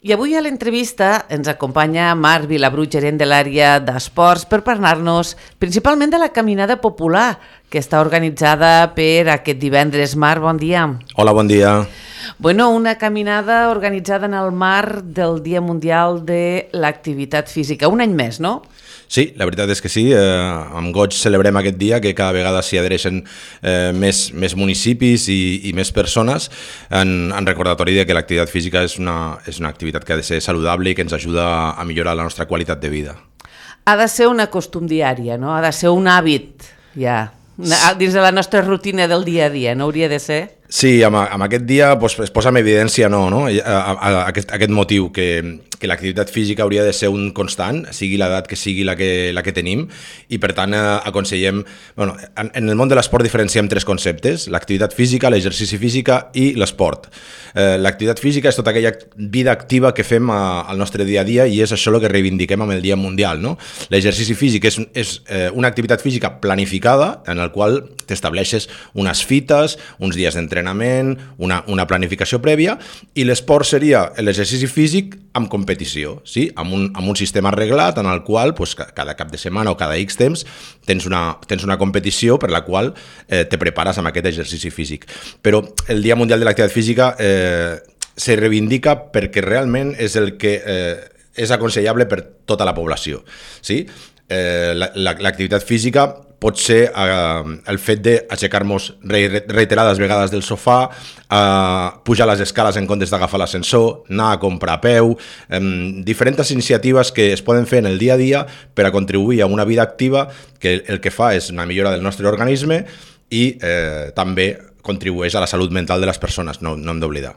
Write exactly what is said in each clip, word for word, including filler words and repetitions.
I avui a l'entrevista ens acompanya Marc Vilabrú, gerent de l'àrea d'esports, per parlar-nos principalment de la caminada popular que està organitzada per aquest divendres. Marc, bon dia. Hola, bon dia. Bueno, una caminada organitzada en el marc del Dia Mundial de l'Activitat Física. Un any més, no? Sí, la veritat és que sí, eh, amb goig celebrem aquest dia, que cada vegada s'hi adhereixen eh, més, més municipis i, i més persones en, en recordatori de que l'activitat física és una, és una activitat que ha de ser saludable i que ens ajuda a millorar la nostra qualitat de vida. Ha de ser una costum diària, no? Ha de ser un hàbit, ja, dins de la nostra rutina del dia a dia, no hauria de ser? Sí, amb, amb aquest dia pues, es posa en evidència no, no? A, a, a aquest, aquest motiu, que, que l'activitat física hauria de ser un constant, sigui l'edat que sigui la que, la que tenim, i per tant eh, aconsellem... Bueno, en, en el món de l'esport diferenciem tres conceptes: l'activitat física, l'exercici física i l'esport. Eh, l'activitat física és tota aquella vida activa que fem a, al nostre dia a dia, i és això el que reivindiquem amb el Dia Mundial, no? L'exercici físic és, és eh, una activitat física planificada, en el qual t'estableixes unes fites, uns dies d'entrenament, Una, una planificació prèvia, i l'esport seria l'exercici físic amb competició, sí? amb, un, amb un sistema arreglat en el qual pues, cada cap de setmana o cada X temps tens una, tens una competició per la qual eh, te prepares amb aquest exercici físic. Però el Dia Mundial de l'Activitat Física eh, se reivindica perquè realment és el que eh, és aconsellable per tota la població. Sí? Eh, la, la, l'activitat física pot ser eh, el fet d'aixecar-nos reiterades vegades del sofà, eh, pujar les escales en comptes d'agafar l'ascensor, anar a comprar a peu, eh, diferents iniciatives que es poden fer en el dia a dia per a contribuir a una vida activa que el que fa és una millora del nostre organisme i eh, també contribueix a la salut mental de les persones, no, no hem d'oblidar.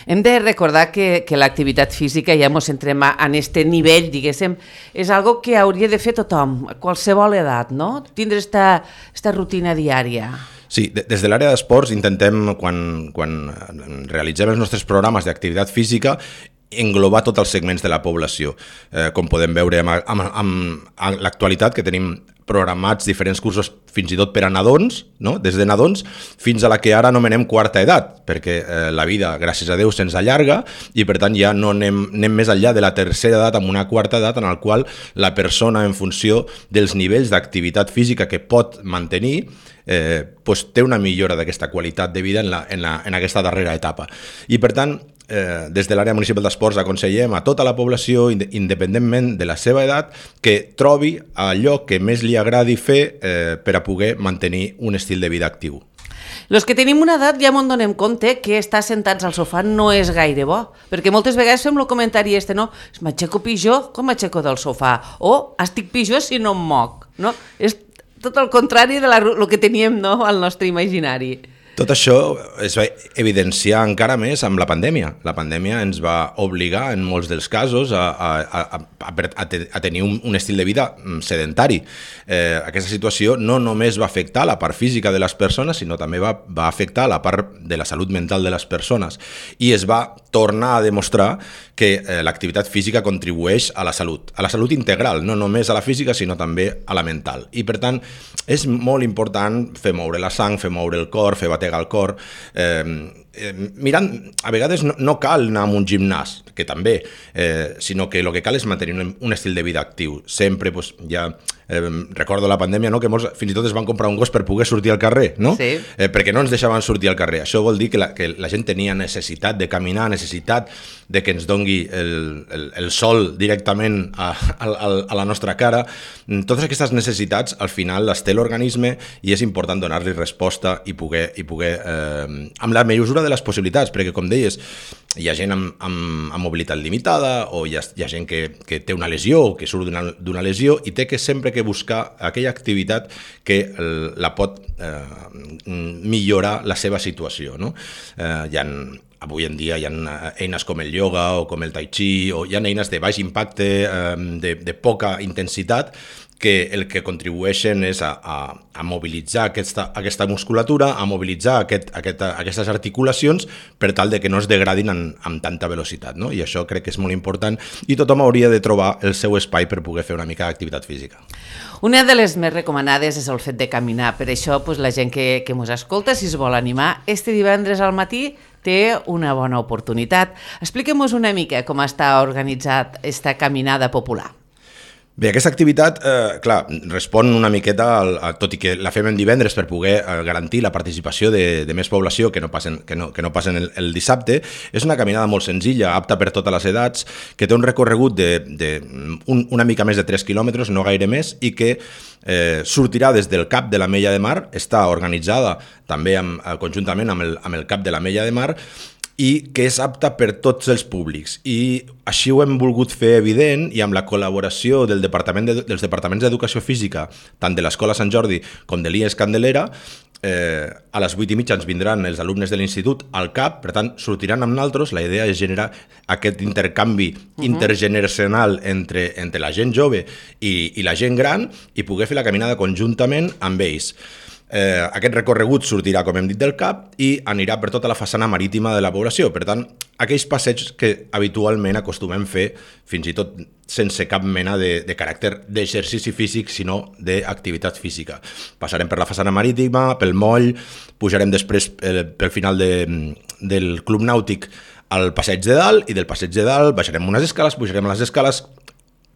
Hem de recordar que, que l'activitat física, ja ens entrem en aquest nivell, diguéssim, és algo que hauria de fer tothom, a qualsevol edat, no? Tindre esta, esta rutina diària. Sí, des de l'àrea d'esports intentem, quan, quan realitzem els nostres programes d'activitat física, englobar tots els segments de la població. Eh, com podem veure amb, amb, amb, amb l'actualitat, que tenim programats diferents cursos fins i tot per a nadons, no? Des de nadons fins a la que ara anomenem quarta edat, perquè eh, la vida, gràcies a Déu, se'ns allarga i per tant ja no anem, anem més enllà de la tercera edat amb una quarta edat en la qual la persona, en funció dels nivells d'activitat física que pot mantenir, eh, pues, té una millora d'aquesta qualitat de vida en, la, en, la, en aquesta darrera etapa. I per tant, Eh, des de l'àrea municipal d'esports aconsellem a tota la població, independentment de la seva edat, que trobi allò que més li agradi fer eh, per a poder mantenir un estil de vida actiu. Los que tenim una edat ja m'en donem compte que estar sentats al sofà no és gaire bo, perquè moltes vegades fem el comentari este, no? M'aixeco pitjor com m'aixeco del sofà, o estic pitjor si no em moc, no? És tot el contrari de la, el que teníem, no?, al nostre imaginari. Tot això es va evidenciar encara més amb la pandèmia. La pandèmia ens va obligar, en molts dels casos, a, a, a, a, a tenir un, un estil de vida sedentari. Eh, aquesta situació no només va afectar la part física de les persones, sinó també va, va afectar la part de la salut mental de les persones. I es va tornar a demostrar que eh, l'activitat física contribueix a la salut, a la salut integral, no només a la física, sinó també a la mental. I, per tant, és molt important fer moure la sang, fer moure el cor, fer bategar al cor. Eh, eh, mirant, a vegades no, no cal anar a un gimnàs, que també, eh, sinó que el que cal és mantenir un, un estil de vida actiu. Sempre, pues, ja eh, recordo la pandèmia, no?, que molts fins i tot es van comprar un gos per poder sortir al carrer, no? Sí. Eh, perquè no ens deixaven sortir al carrer. Això vol dir que la, que la gent tenia necessitat de caminar, necessitat de que ens dongui el, el, el sol directament a, a, a la nostra cara. Totes aquestes necessitats, al final, les té l'organisme i és important donar-li resposta i poder, i poder eh, amb la mesura de les possibilitats, perquè, com deies, hi ha gent amb, amb, amb mobilitat limitada, o hi ha, hi ha gent que, que té una lesió o que surt d'una, d'una lesió i té que sempre que buscar aquella activitat que la pot eh, millorar la seva situació, no? Eh, hi ha, avui en dia hi ha eines com el ioga o com el tai chi, o hi ha eines de baix impacte, eh, de, de poca intensitat, que el que contribueixen és a, a, a mobilitzar aquesta, aquesta musculatura, a mobilitzar aquest, aquest, aquestes articulacions per tal de que no es degradin en, amb tanta velocitat, no? I això crec que és molt important i tothom hauria de trobar el seu espai per poder fer una mica d'activitat física. Una de les més recomanades és el fet de caminar, per això pues, la gent que, que mos escolta, si es vol animar, este divendres al matí té una bona oportunitat. Expliquem-nos una mica com està organitzat esta caminada popular. Bé, aquesta activitat, eh, clar, respon una miqueta, al, a, tot i que la fem en divendres per poder eh, garantir la participació de, de més població que no passen, que no, que no passen el, el dissabte. És una caminada molt senzilla, apta per totes les edats, que té un recorregut de, de un, una mica més de tres quilòmetres, no gaire més, i que eh, sortirà des del Cap de l'Ametlla de Mar, està organitzada també amb, conjuntament amb el, amb el Cap de l'Ametlla de Mar, i que és apta per tots els públics. I així ho hem volgut fer evident i amb la col·laboració del Departament de, dels Departaments d'Educació Física, tant de l'Escola Sant Jordi com de l'I E S Candelera, eh, a les vuit i mitja ens vindran els alumnes de l'institut al CAP, per tant, sortiran amb nosaltres. La idea és generar aquest intercanvi uh-huh. intergeneracional entre, entre la gent jove i, i la gent gran i poder fer la caminada conjuntament amb ells. Eh, aquest recorregut sortirà, com hem dit, del CAP i anirà per tota la façana marítima de la població. Per tant, aquells passeigs que habitualment acostumem fer, fins i tot sense cap mena de, de caràcter d'exercici físic, sinó d'activitat física. Passarem per la façana marítima, pel moll, pujarem després eh, pel final de, del Club Nàutic al Passeig de Dalt, i del Passeig de Dalt baixarem unes escales, pujarem a les escales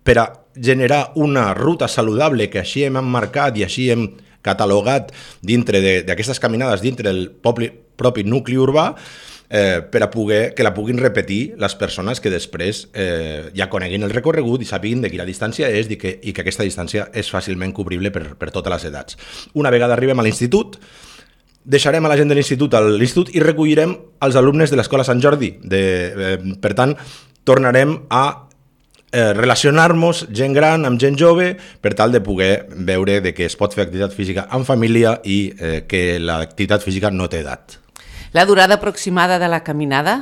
per a generar una ruta saludable que així hem emmarcat i així hem catalogat dintre d'aquestes caminades, dintre del poble, propi nucli urbà, eh, per a poder, que la puguin repetir les persones que després eh, ja coneguin el recorregut i sàpiguin de quina distància és i que, i que aquesta distància és fàcilment cobrible per, per totes les edats. Una vegada arribem a l'institut, deixarem a la gent de l'institut a l'institut i recollirem els alumnes de l'Escola Sant Jordi. De, eh, per tant, tornarem a Eh, relacionar-nos gent gran amb gent jove per tal de poder veure de que es pot fer activitat física en família i eh, que l'activitat física no té edat. La durada aproximada de la caminada?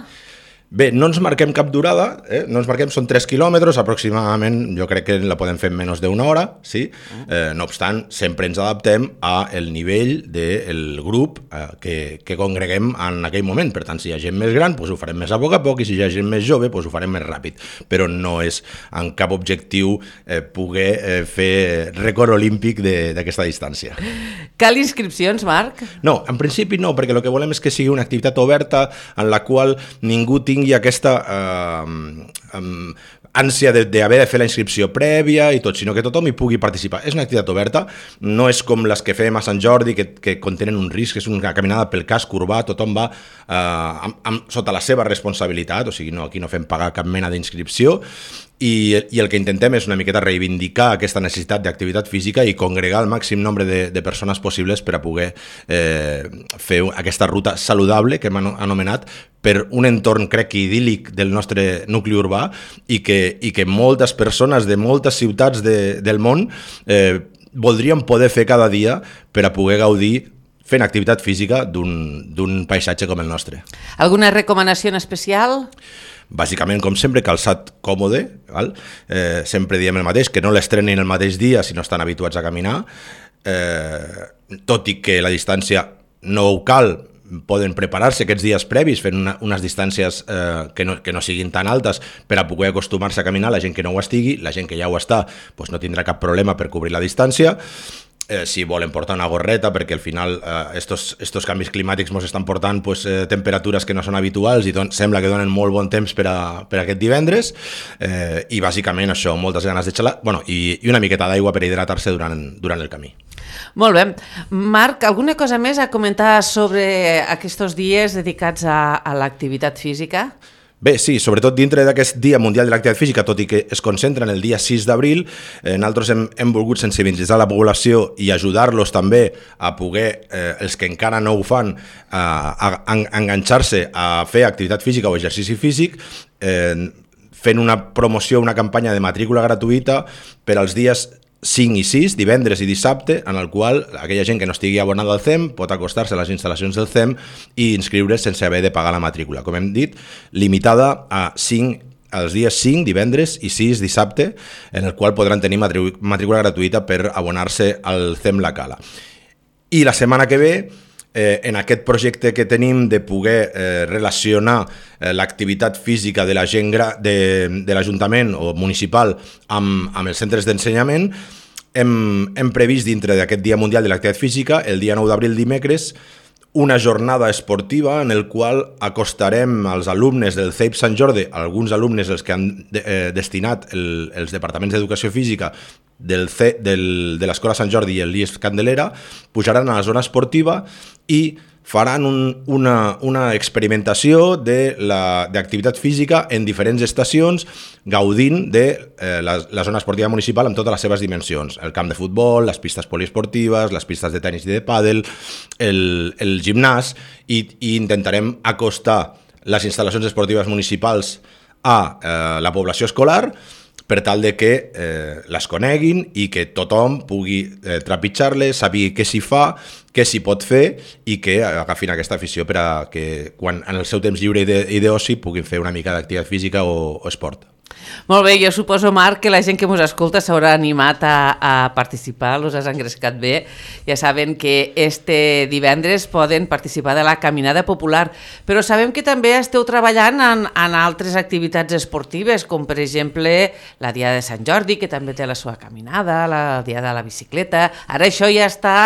Bé, no ens marquem cap durada, eh? no ens marquem, són tres quilòmetres aproximadament, jo crec que la podem fer en menys d'una hora, sí? Eh, no obstant, sempre ens adaptem al nivell del grup eh, que, que congreguem en aquell moment. Per tant, si hi ha gent més gran, doncs ho farem més a poc a poc, i si hi ha gent més jove, doncs ho farem més ràpid. Però no és en cap objectiu eh, poder eh, fer rècord olímpic d'aquesta distància. Cal inscripcions, Marc? No, en principi no, perquè el que volem és que sigui una activitat oberta en la qual ningú tingui tingui aquesta eh, um, ànsia d'haver de, de fer la inscripció prèvia i tot, sinó que tothom hi pugui participar. És una activitat oberta, no és com les que fem a Sant Jordi, que, que contenen un risc, és una caminada pel casc urbà, tothom va eh, amb, amb, sota la seva responsabilitat, o sigui, no, aquí no fem pagar cap mena d'inscripció, i, i el que intentem és una miqueta reivindicar aquesta necessitat d'activitat física i congregar el màxim nombre de, de persones possibles per a poder eh, fer aquesta ruta saludable que hem anomenat per un entorn, crec, idíl·lic del nostre nucli urbà i que, i que moltes persones de moltes ciutats de, del món eh, voldrien poder fer cada dia per a poder gaudir fent activitat física d'un paisatge com el nostre. Alguna recomanació en especial? Bàsicament, com sempre, calçat còmode, val? Eh, sempre diem el mateix, que no l'estrenin el mateix dia si no estan habituats a caminar, eh, tot i que la distància no ho cal, poden preparar-se aquests dies previs fent una, unes distàncies eh, que, no, que no siguin tan altes per a poder acostumar-se a caminar, la gent que no ho estigui, la gent que ja ho està doncs no tindrà cap problema per cobrir la distància. Eh, si volen portar una gorreta, perquè al final eh, estos, estos canvis climàtics ens estan portant pues, eh, temperatures que no són habituals i don, sembla que donen molt bon temps per, a, per a aquest divendres, eh, i bàsicament això, moltes ganes de xalar, bueno, i, i una miqueta d'aigua per hidratar-se durant, durant el camí. Molt bé. Marc, alguna cosa més a comentar sobre aquests dies dedicats a, a l'activitat física? Bé, sí, sobretot dintre d'aquest Dia Mundial de l'Activitat Física, tot i que es concentra en el dia sis d'abril, eh, nosaltres hem, hem volgut sensibilitzar la població i ajudar-los també a poder, eh, els que encara no ho fan, a, a, a enganxar-se a fer activitat física o exercici físic, eh, fent una promoció, una campanya de matrícula gratuïta per als dies cinc i sis, divendres i dissabte, en el qual aquella gent que no estigui abonada al C E M pot acostar-se a les instal·lacions del C E M i inscriure's sense haver de pagar la matrícula. Com hem dit, limitada a cinc els dies cinc, divendres i sis, dissabte, en el qual podran tenir matrícula gratuïta per abonar-se al C E M La Cala. I la setmana que ve, Eh, en aquest projecte que tenim de poder eh, relacionar eh, l'activitat física de la gent gra- de, de l'Ajuntament o municipal amb, amb els centres d'ensenyament, hem, hem previst dintre d'aquest Dia Mundial de l'Activitat Física, el dia nou d'abril dimecres, una jornada esportiva en el qual acostarem als alumnes del C E I P Sant Jordi, alguns alumnes els que han de, eh, destinat el, els departaments d'educació física del C, del, de l'Escola Sant Jordi i el I E S Candelera, pujaran a la zona esportiva i faran un, una, una experimentació d'activitat física en diferents estacions, gaudint de eh, la, la zona esportiva municipal amb totes les seves dimensions. El camp de futbol, les pistes poliesportives, les pistes de tenis i de pàdel, el, el gimnàs, i, i intentarem acostar les instal·lacions esportives municipals a eh, la població escolar per tal de que eh, les coneguin i que tothom pugui eh, trepitjar-les, sàpiga què s'hi fa, què s'hi pot fer i que agafin aquesta afició per a que quan en el seu temps lliure i d'oci puguin fer una mica d'activitat física o, o esport. Molt bé, jo suposo, Marc, que la gent que ens escolta s'haurà animat a, a participar, els has engrescat bé. Ja saben que este divendres poden participar de la Caminada Popular, però sabem que també esteu treballant en, en altres activitats esportives, com per exemple la Diada de Sant Jordi, que també té la seva caminada, la Diada de la bicicleta. Ara això ja està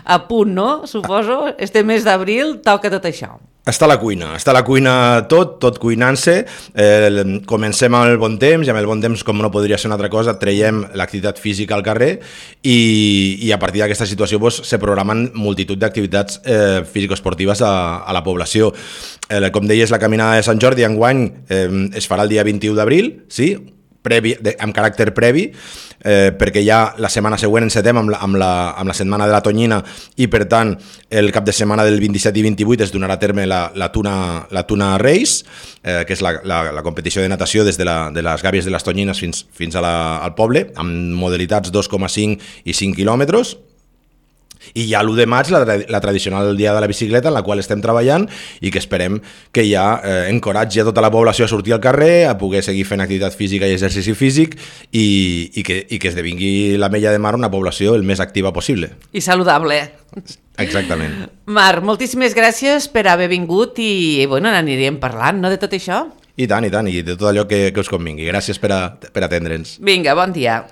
a punt, no? Suposo, este mes d'abril toca tot això. Està a la cuina, està a la cuina tot, tot cuinant-se, eh, comencem amb el bon temps, i amb el bon temps, com no podria ser una altra cosa, traiem l'activitat física al carrer i, i a partir d'aquesta situació pues, se programen multitud d'activitats eh, físico-esportives a, a la població. Eh, com deies, la caminada de Sant Jordi enguany eh, es farà el dia vint-i-u d'abril, sí? Previ, de, amb caràcter previ, eh, perquè ja la setmana següent encetem amb la, amb, la, amb la setmana de la Tonyina i per tant el cap de setmana del vint-i-set i vint-i-vuit es donarà a terme la, la, tuna, la Tuna Race, eh, que és la, la, la competició de natació des de, la, de les gàbies de les Tonyines fins, fins a la, al poble, amb modalitats dos coma cinc i cinc quilòmetres. I ja l'u de maig, la, la tradicional dia de la bicicleta, en la qual estem treballant i que esperem que ja eh, encoratgi a tota la població a sortir al carrer, a poder seguir fent activitat física i exercici físic i, i, que, i que esdevingui l'Ametlla de Mar una població el més activa possible. I saludable. Exactament. Marc, moltíssimes gràcies per haver vingut i bueno, n'anirem parlant, no, de tot això? I tant, i tant, i de tot allò que, que us convingui. Gràcies per, a, per atendre'ns. Vinga, bon dia.